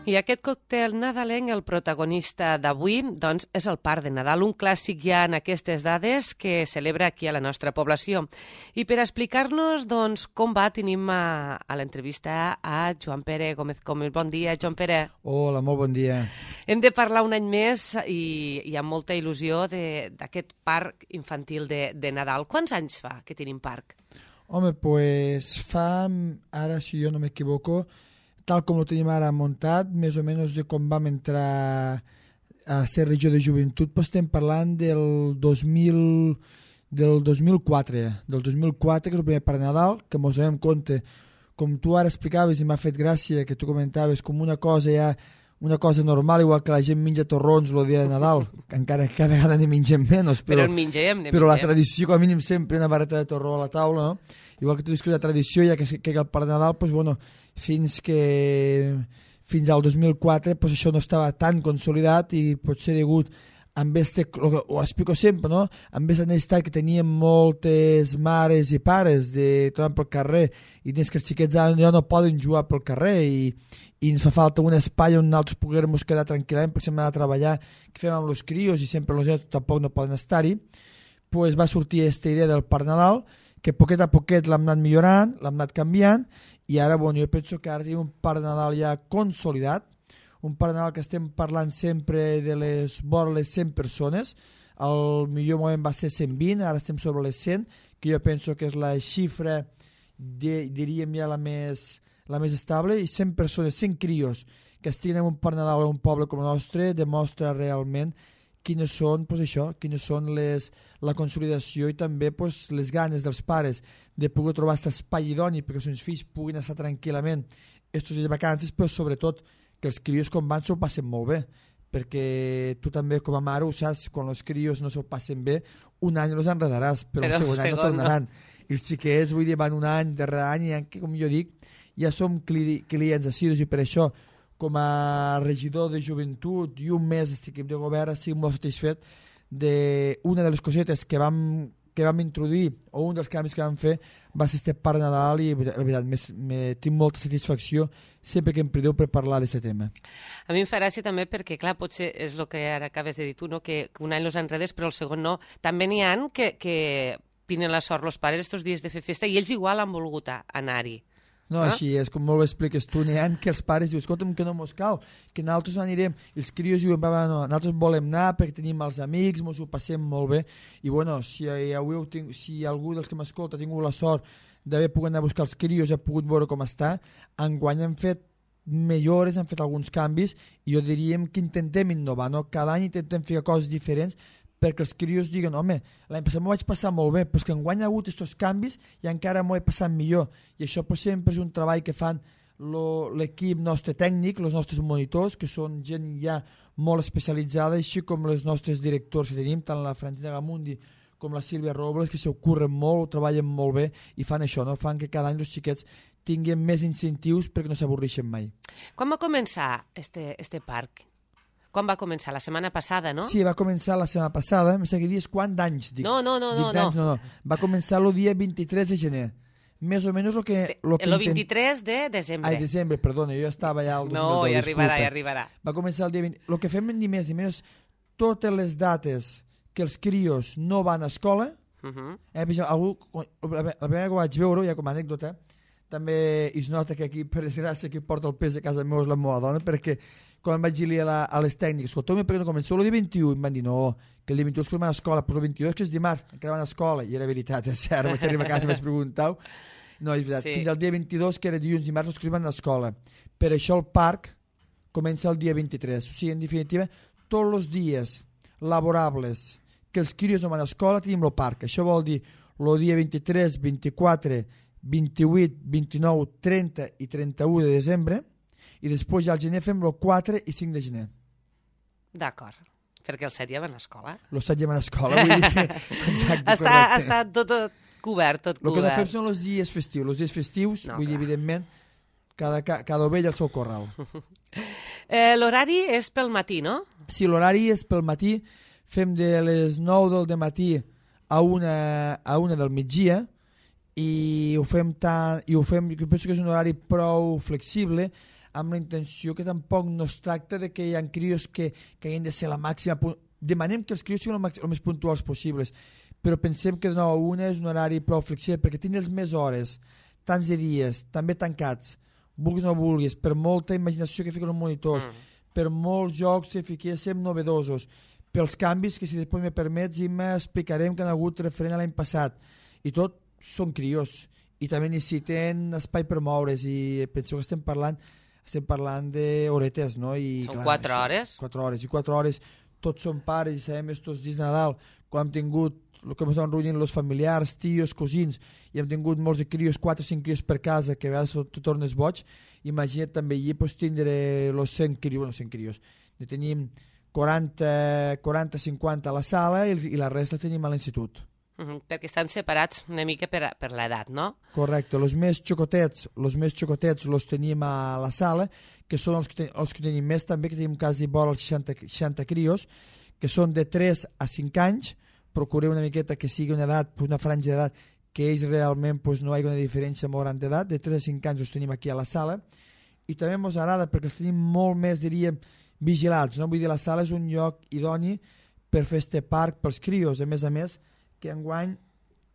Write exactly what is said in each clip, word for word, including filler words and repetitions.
I aquest còctel nadalenc, el protagonista d'avui, doncs, és el Parc de Nadal, un clàssic ja en aquestes dades que celebra aquí a la nostra població. I per explicar-nos doncs, com va, tenim a, a l'entrevista a Joan Pere Gómez Gómez. Bon dia, Joan Pere. Hola, molt bon dia. Hem de parlar un any més i, i amb molta il·lusió d'aquest parc infantil de, de Nadal. Quants anys fa que tenim parc? Home, pues fa, ara si jo no m'equivoco, tal com ho tenim ara muntat, més o menys de com vam entrar a ser regió de joventut, pues estem parlant del dos mil, del dos mil quatre, del dos mil quatre, que és el primer parc de Nadal, que mos donem compte, com tu ara explicaves i m'ha fet gràcia, que tu comentaves com una cosa ja, una cosa normal, igual que la gent menja torrons el dia de Nadal, que encara cada vegada ne mengem menys, però, però en mengem, ne però mengem. La tradició, com a mínim sempre una barreta de torró a la taula, no? Igual que tu dius que la tradició, ja que, que el parc de Nadal, pues, bueno, fins que fins al dos mil quatre pues, això no estava tan consolidat i potser degut amb este, ho explico sempre, no? Amb aquesta necessitat que teníem moltes mares i pares de tornar pel carrer i dins que els xiquets ja no poden jugar pel carrer i, i ens fa falta un espai on nosaltres puguem quedar tranquil·lament perquè hem d'anar a treballar, que fem amb els crios i sempre els nens tampoc no poden estar-hi, pues va sortir aquesta idea del Parc Nadal que poquet a poquet l'hem anat millorant, l'hem anat canviant i ara, bueno, jo penso que ara tenim un Parc Nadal ja consolidat, un Parc Nadal que estem parlant sempre de les vora les cent persones, el millor moment va ser cent vint, ara estem sobre les cent, que jo penso que és la xifra, de, diríem ja la més, la més estable, i cent persones, cent crios que estiguin en un Parc Nadal a un poble com el nostre, demostra realment quines són, pues això, quines són les, la consolidació i també pues, les ganes dels pares de poder trobar aquest espai idoni perquè els seus fills puguin estar tranquil·lament estos dies de vacances, però sobretot que els crios quan van s'ho passen molt bé, perquè tu també com a mare ho saps, quan els crios no s'ho passen bé, un any els enredaràs, però, però el segon any no tornaran. No. I els xiquets, vull dir, van un any, darrere any, i com jo dic, ja som cli clients assidus i per això, com a regidor de joventut i un mes d'aquest equip de govern, estic molt satisfet d'una de les cosetes que vam, que vam introduir, o un dels canvis que vam fer, va ser este Parc Nadal i la veritat, me, me, tinc molta satisfacció sempre que em prideu per parlar d'aquest tema. A mi em fa gràcia també perquè, clar, potser és el que ara acabes de dir tu, no? que, que un any los enredes però el segon no. També n'hi ha que, que tenen la sort els pares estos dies de fer festa i ells igual han volgut anar-hi. No, ah? Així és, com molt bé expliques tu, n'hi ha que els pares diuen, escolta'm, que no mos cal, que nosaltres anirem, i els crios diuen, va, va, no, nosaltres volem anar perquè tenim els amics, mos ho passem molt bé, i bueno, si, heu, si algú dels que m'escolta ha tingut la sort d'haver pogut anar a buscar els crios i ha pogut veure com està, enguany hem fet millores, hem fet alguns canvis, i jo diríem que intentem innovar, no? Cada any intentem fer coses diferents, perquè els crios diguen, home, l'any passat m'ho vaig passar molt bé, però és que enguany ha hagut aquests canvis i encara m'ho he passat millor. I això pues, sempre és un treball que fan l'equip nostre tècnic, els nostres monitors, que són gent ja molt especialitzada, així com els nostres directors que tenim, tant la Francina Gamundi com la Sílvia Robles, que s'ocorren molt, treballen molt bé i fan això, no? Fan que cada any els xiquets tinguin més incentius perquè no s'avorreixen mai. Quan va començar este, este parc? Quan va començar? La setmana passada, no? Sí, va començar la setmana passada. Em sembla que dius quant d'anys? Dic, no, no, no. Dic no, no. no, no. Va començar el dia vint-i-tres de gener. Més o menys el que... Lo que el vint-i-tres de desembre. Ai, desembre, perdona, jo estava ja al dos mil deu. No, ja arribarà, disculpa. ja arribarà. Va començar el dia vint... El que fem ni més ni menys, totes les dates que els crios no van a escola, uh -huh. eh, algú, la primera que vaig veure, ja com a anècdota, també es nota que aquí, per desgràcia, qui porta el pes a casa meva és la meva dona, perquè quan vaig dir a, la, a les tècniques, escolteu-me perquè no començo el dia vint-i-u, em van dir no, que el dia vint-i-u és que van a escola, però el vint-i-dos que és dimarts, encara van a escola, i era veritat, és cert, vaig arribar a casa i vaig preguntar, no, és veritat, sí. Fins al dia vint-i-dos, que era dilluns i dimarts, els que van a escola. Per això el parc comença el dia vint-i-tres, o sigui, en definitiva, tots els dies laborables que els crios no van a escola tenim el parc, això vol dir el dia vint-i-tres, vint-i-quatre, vint-i-vuit, vint-i-nou, trenta i trenta-u de desembre, i després ja al gener fem el quatre i cinc de gener. D'acord, perquè el set ja van a escola. El set ja van a escola, vull dir que... Exacte, està, està tot, tot cobert, tot el cobert. El que no fem són els dies festius. Els dies festius, no, vull dir, evidentment, cada, cada ovella al seu corral. eh, L'horari és pel matí, no? Sí, l'horari és pel matí. Fem de les nou del matí a una, a una del migdia, i ho fem tant, i ho fem, jo penso que és un horari prou flexible. amb la intenció que tampoc no es tracta de que hi ha crios que, que hagin de ser la màxima. Demanem que els crios siguin el, màxim, el més puntuals possibles, però pensem que de nou a una és un horari prou flexible, perquè tindre els més hores, tants de dies, també tancats, vulguis o no vulguis, per molta imaginació que fiquen els monitors, mm. per molts jocs que fiquéssim novedosos, pels canvis que, si després me permets, i m'explicarem que han hagut referent a l'any passat, i tot són crios, i també necessiten espai per moure's, i penso que estem parlant estem parlant d'horetes, no? I, són clar, quatre hores? Quatre hores, i quatre hores, tots són pares, i sabem estos dies de Nadal, quan hem tingut el que ens estaven reunint els familiars, tios, cosins, i hem tingut molts de crios, quatre o cinc crios per casa, que a vegades tu tornes boig. Imagina't també allí pues, tindre els cent crios, bueno, cent crios, ne tenim quaranta cinquanta a la sala i, i la resta tenim a l'institut. Uh -huh, perquè estan separats una mica per, per l'edat, no? Correcte, els més xocotets, els més xocotets los tenim a la sala, que són els que, ten, els que tenim més també, que tenim quasi vora els seixanta, seixanta crios, que són de tres a cinc anys. Procurem una miqueta que sigui una edat, pues una franja d'edat, que ells realment pues, no hi ha una diferència molt gran d'edat. De tres a cinc anys els tenim aquí a la sala, i també ens agrada perquè els tenim molt més, diríem, vigilats, no? Vull dir, la sala és un lloc idoni per fer este parc pels crios, a més a més, que enguany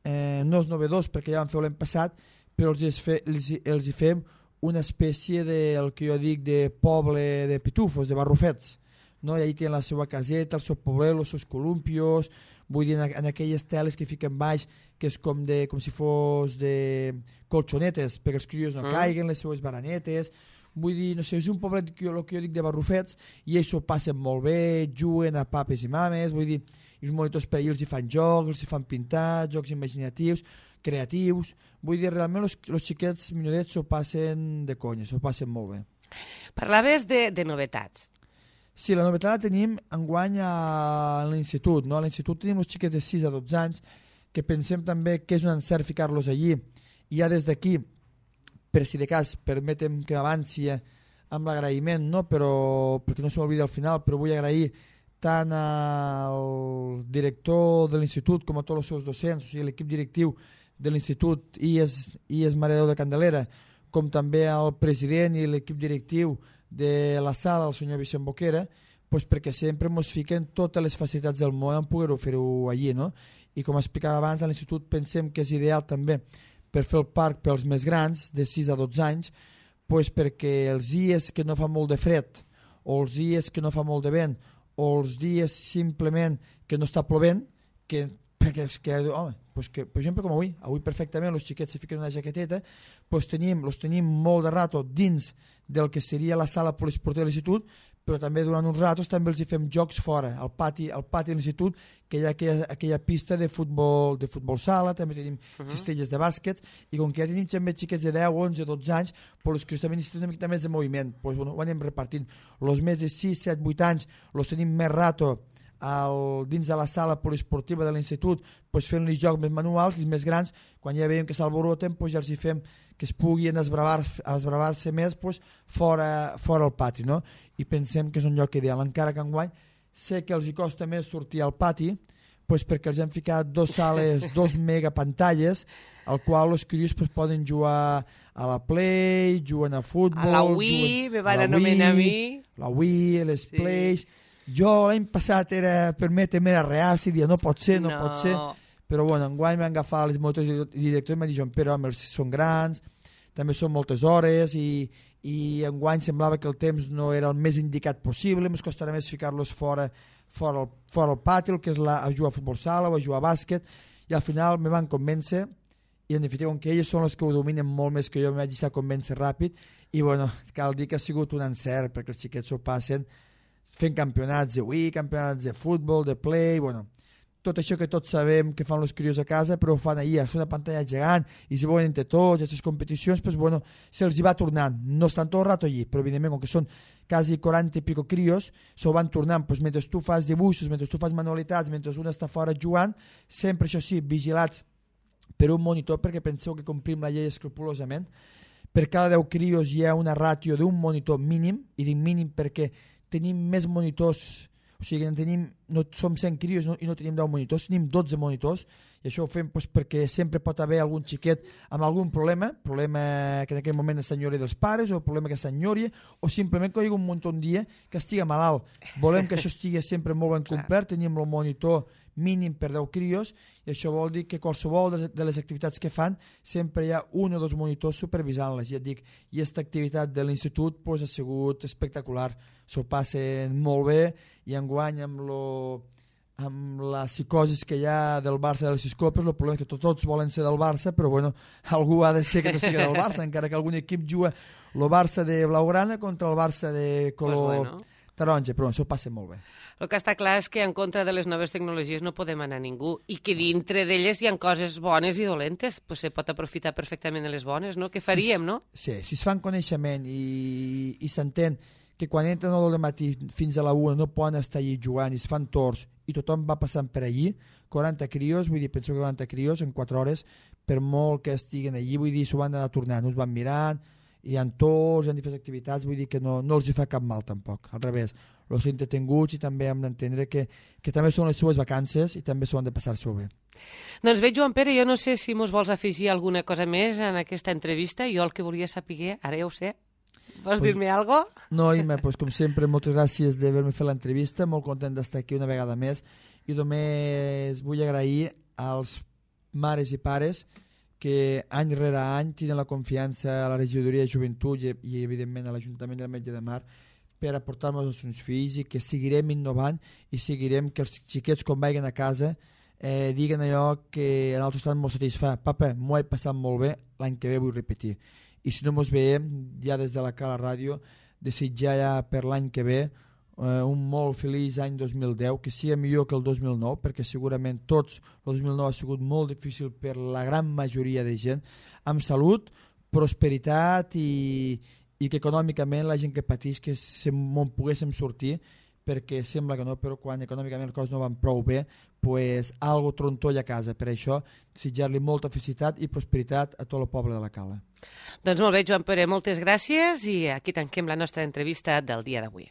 eh, no és novedós perquè ja vam fer l'any passat, però els, fe, els, els hi fem una espècie de, el que jo dic, de poble de pitufos, de barrufets, no? I allà tenen la seva caseta, el seu poblet, els seus columpios, vull dir, en, en aquelles teles que fiquen baix, que és com, de, com si fos de colxonetes, perquè els crios no mm. caiguen, les seues baranetes. Vull dir, no sé, és un poblet que jo, el que jo dic de barrufets, i ells s'ho passen molt bé, juguen a papes i mames, vull dir, els monitors per allà els hi fan jocs, els hi fan pintar, jocs imaginatius, creatius. Vull dir, realment els, els xiquets minudets s'ho passen de conya, s'ho passen molt bé. Parlaves de, de novetats. Sí, la novetat la tenim enguany a l'institut, no? A l'institut tenim els xiquets de sis a dotze anys, que pensem també que és un encert ficar-los allí, i ja des d'aquí, per si de cas, permetem que m'avanci amb l'agraïment, no? Però, perquè no se m'oblida al final, però vull agrair tant al director de l'institut com a tots els seus docents, o sigui, l'equip directiu de l'institut I E S, I E S Mare de Déu de Candelera, com també al president i l'equip directiu de la sala, el senyor Vicent Boquera, pues perquè sempre ens fiquen totes les facilitats del món en poder-ho fer-ho allí, no? I com explicava abans, a l'institut pensem que és ideal també per fer el parc pels més grans, de sis a dotze anys, pues perquè els dies que no fa molt de fred, o els dies que no fa molt de vent, o els dies simplement que no està plovent, que, perquè, que, home, pues que, per exemple com avui, avui perfectament els xiquets se fiquen una jaqueteta, pues tenim, los tenim molt de rato dins del que seria la sala poliesportiva de l'institut, però també durant uns ratos també els hi fem jocs fora, al pati, al pati de l'institut, que hi ha aquella, aquella pista de futbol, de futbol sala, també tenim uh -huh. cistelles de bàsquet, i com que ja tenim també xiquets de deu, onze, dotze anys, pues els que també necessiten una mica més de moviment, pues, bueno, ho anem repartint. Els més de sis, set, vuit anys els tenim més rato al, dins de la sala poliesportiva de l'institut, pues, fent-li jocs més manuals, i els més grans, quan ja veiem que s'alboroten, pues, ja els hi fem que es puguin esbravar-se esbravar més pues, fora, fora al pati, no? I pensem que és un lloc ideal, encara que enguany sé que els hi costa més sortir al pati, pues, perquè els han ficat dos sales, dos megapantalles, al qual els crios pues, poden jugar a la Play, juguen a futbol... A la Wii, me van anomenar a mi. La Wii, les sí. Plays... Jo l'any passat era, permetem, era reaci, dia no pot ser, no, no pot ser, però bueno, enguany m'han agafat les motors i directors i m'han dit, però home, són grans, també són moltes hores i, i enguany semblava que el temps no era el més indicat possible, ens costarà més ficar-los fora, fora, el, fora el pati, el que és la, a jugar a futbol sala o a jugar a bàsquet, i al final me van convèncer, i en definitiva, com que ells són els que ho dominen molt més que jo, me vaig deixar convèncer ràpid, i bueno, cal dir que ha sigut un encert, perquè els xiquets ho passen fent campionats de Wii, campionats de futbol, de play, bueno, tot això que tots sabem que fan els crios a casa, però ho fan allà, és una pantalla gegant, i si volen entre tots, aquestes competicions, pues, bueno, se'ls hi va tornant, no estan tot el rato allí, però evidentment, com que són quasi quaranta i pico crios, s'ho van tornant, pues, mentre tu fas dibuixos, mentre tu fas manualitats, mentre un està fora jugant, sempre, això sí, vigilats per un monitor, perquè penseu que complim la llei escrupulosament, per cada deu crios hi ha una ràtio d'un monitor mínim, i dic mínim perquè tenim més monitors, O sigui, en tenim, no som cent crios no, i no tenim deu monitors, tenim dotze monitors, i això ho fem doncs, perquè sempre pot haver algun xiquet amb algun problema, problema que en aquell moment s'enyori dels pares, o problema que s'enyori, o simplement que hi ha un munt un dia que estigui malalt. Volem que això estigui sempre molt ben complert, tenim el monitor mínim per deu crios, i això vol dir que qualsevol de les activitats que fan sempre hi ha un o dos monitors supervisant-les. Ja et dic, i aquesta activitat de l'institut pues, ha sigut espectacular, s'ho passen molt bé, i enguany amb, lo, amb la psicosis que hi ha del Barça de les sis copes, el problema és que tots, tots volen ser del Barça, però bueno, algú ha de ser que no sigui del Barça, encara que algun equip juga el Barça de blaugrana contra el Barça de color... Pues bueno. Taronja, però això passa molt bé. El que està clar és que en contra de les noves tecnologies no podem anar ningú i que dintre d'elles hi ha coses bones i dolentes, pues se pot aprofitar perfectament de les bones, no? Què faríem, si, no? Sí, si es fan coneixement i, i s'entén que quan entren al matí fins a la una no poden estar allí jugant i es fan torns i tothom va passant per allí, quaranta crios, vull dir, penso que quaranta crios en quatre hores, per molt que estiguen allí, vull dir, s'ho van anar tornant, no es van mirant, hi ha torns, hi ha diferents activitats, vull dir que no, no els hi fa cap mal tampoc, al revés, els entretinguts i també hem d'entendre que, que també són les seves vacances i també s'ho han de passar-s'ho bé. Doncs bé, Joan Pere, jo no sé si mos vols afegir alguna cosa més en aquesta entrevista, jo el que volia saber, ara ja ho sé, vols pues, dir-me alguna cosa? No, Ima, pues, com sempre, moltes gràcies d'haver-me fet l'entrevista, molt content d'estar aquí una vegada més i només vull agrair als mares i pares que any rere any tenen la confiança a la regidoria de joventut i, i evidentment a l'Ajuntament del Metge de Mar per aportar-nos els seus fills i que seguirem innovant i seguirem que els xiquets quan vagin a casa eh, diguen allò que a nosaltres estan molt satisfà. Papa, m'ho he passat molt bé, l'any que ve vull repetir. I si no ens veiem, ja des de la Cala Ràdio, desitjar ja per l'any que ve Uh, un molt feliç any dos mil deu, que sigui millor que el dos mil nou, perquè segurament tots el dos mil nou ha sigut molt difícil per la gran majoria de gent, amb salut, prosperitat i, i que econòmicament la gent que pateix que se me'n poguéssim sortir, perquè sembla que no, però quan econòmicament les coses no van prou bé, pues algo trontolla a casa. Per això, desitjar-li molta felicitat i prosperitat a tot el poble de la Cala. Doncs molt bé, Joan Pere, moltes gràcies i aquí tanquem la nostra entrevista del dia d'avui.